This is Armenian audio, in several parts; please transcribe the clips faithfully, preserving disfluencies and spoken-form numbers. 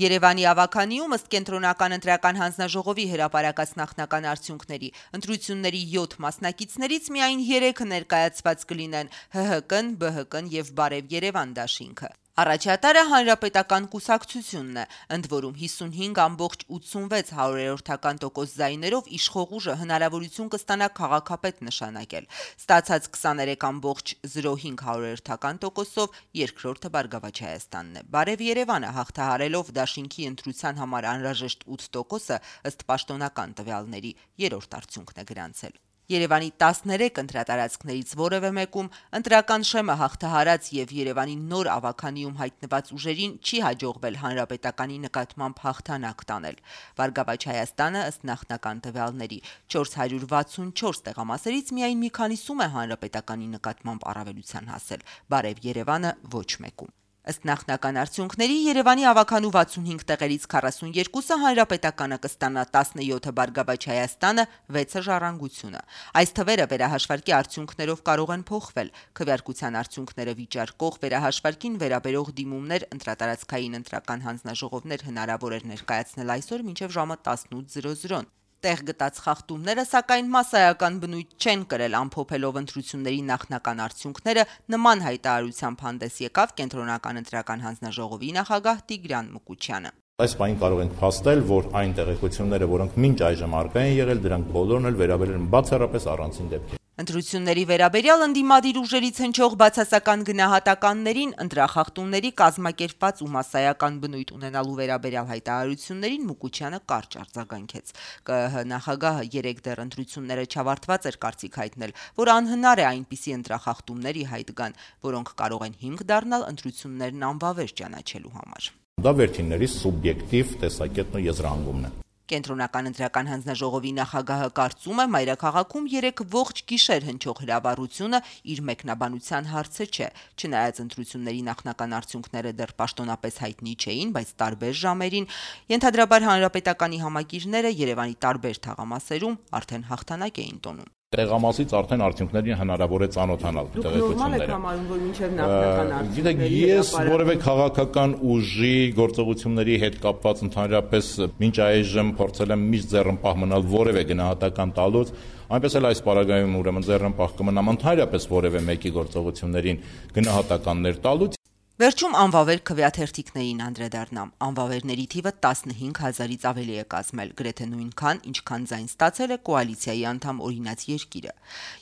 Երևանի ավականիում ըստ կենտրոնական ընտրական հանձնաժողովի հրապարակած նախնական արդյունքների ընտրությունների յոթ մասնակիցներից միայն երեքը ներկայացված կլինեն Հ Հ Կն, Բ Հ Կն եւ Բարև Երևան դաշինքը։ Առաջատարը Հանրապետական կուսակցությունն է, ընդ որում հիսունհինգ ամբողջ ութսունվեց հարյուրերորդական տոկոս ձայներով իշխող ուժը հնարավորություն կստանա քաղաքապետ նշանակել։ Ստացած քսաներեք ամբողջ զրո հինգ հարյուրերորդական տոկոսով երկրորդը Բարգավաճ Հայաստանն է։ Բարև Երևանը հաղթահարելով դաշինքի ընտրության համար անհրաժեշտ ութ տոկոսը ըստ պաշտոնական տվյալների երրորդ արդյունքն է գրանցել։ Երևանի տասներեք ընտրատարածքներից որևէ մեկում ընտրական շեմը հաղթահարած եւ Երևանի նոր ավականիում հայտնված ուժերին չի հաջողվել հանրապետականի նկատմամբ հաղթանակ տանել։ Բարգավաճ Հայաստանը ըստ նախնական տվյալների չորս հարյուր վաթսունչորս տեղամասերից միայն մի քանիսում է հանրապետականի նկատմամբ առավելության հասել, Բարև Երևանը ոչ մեկում։ Ըստ նախնական արդյունքների Երևանի ավականու վաթսունհինգ տեղերից քառասունյոթը հանրապետականը կստանա, տասնյոթը Բարգավաճ Հայաստանը, վեցը Ժառանգությունը։ Այս թվերը վերահաշվարկի արդյունքներով կարող են փոխվել։ Քվեարկության արդյունքները վիճարկող վերահաշվարկին վերաբերող դիմումներ ընտրատարածքային ընտրական հանձնաժողովներ հնարավոր էր ներկայացնել այսօր մինչև ժամը տասնութ։ Տեղ գտած խախտումները, սակայն մասսայական բնույթ չեն կրել, ամփոփելով ընտրությունների նախնական արդյունքները նման հայտարարությամբ հանդես եկավ կենտրոնական ընտրական հանձնաժողովի նախագահ Տիգրան Մուկուչյանը։ Այս պահին կարող ենք փաստել, որ այն տեղեկությունները, որոնք մինչ այժմ առկա են եղել, դրանք բոլորն էլ վերաբերել են բացառապես առանձին դեպքերին։ Ընտրությունների վերաբերյալ ընդդիմադիր ուժերից հնչող բացասական գնահատականներին, ընտրախախտումների կազմակերպված ու մասսայական բնույթ ունենալու վերաբերյալ հայտարարություններին Մուկուչյանը կարճ արձագանքեց։ Կ Ը Հ նախագահը երեկ դեռ ընտրությունները չավարտված էր կարծիք հայտնել, որ անհնար է այնպիսի ընտրախախտումների հայտ գան, որոնք կարող են հիմք դառնալ ընտրություններն անվավեր ճանաչելու համար։ Դա վերջինների սուբյեկտիվ տեսակետն ու եզրահանգումն է։ Կենտրոնական ընտրական հանձնաժողովի նախագահը կարծում է մայրաքաղաքում երեք ողջ գիշեր հնչող հրավառությունը իր մեկնաբանության հարցը չէ, չնայած ընտրությունների նախնական արդյունքները դեռ պաշտոնապես հայտնի չէին, բայց տարբեր ժամերին ենթադրաբար հանրապետականի համակիրները Երևանի տարբեր թաղամասերում արդեն հաղթանակ էին տոնում։ Տեղամասից արդեն արդյունքներին հնարավոր է ծանոթանալ տեղեկությունները։ Գիտեք, ես որևէ քաղաքական ուժի գործողությունների հետ կապված ընդհանրապես մինչ այժմ փորձել եմ միշտ ձեռնպահ մնալ որևէ գնահատական տալուց, այնպես էլ այս պարագայում ուրեմն ձեռնպահ կմնամ ընդհանրապես որևէ մեկի գործողություններին գնահատականներ տալուց։ Վերջում անվավեր քվեաթերթիկներին անդրադառնամ։ Անվավերների թիվը տասնհինգ հազարից ավելի է կազմել, գրեթե նույնքան, ինչքան ձայն ստացել է կոալիցիայի անդամ Օրինաց երկիրը։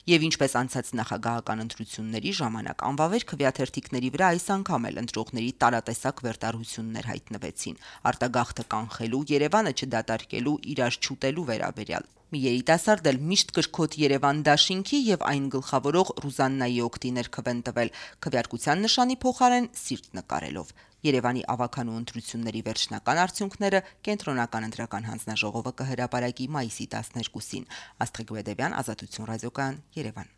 Եվ ինչպես անցած նախագահական ընտրությունների ժամանակ անվավեր քվեաթերթիկների վրա այս անգամ էլ ընտրողների տարատեսակ վերտարություններ հայտնվեցին։ Արտագաղթը կանխելու, Երևանը չդատարկելու, իրար չուտելու վերաբերյալ։ Մի երիտասարդ էլ միշտ կրկոտ Երևան դաշինքի եւ այն գլխավորող Ռուզաննայի օգտիներ քվեն տվել քվեարկության նշանի փոխարեն սիրտ նկարելով։ Երևանի ավականու ընտրությունների վերջնական արդյունքները կենտրոնական ընտրական հանձնաժողովը կհրապարակի մայիսի տասներկուսին։ Աստղիկ Բեդևյան, Ազատություն ռադիոկայան, Երևան։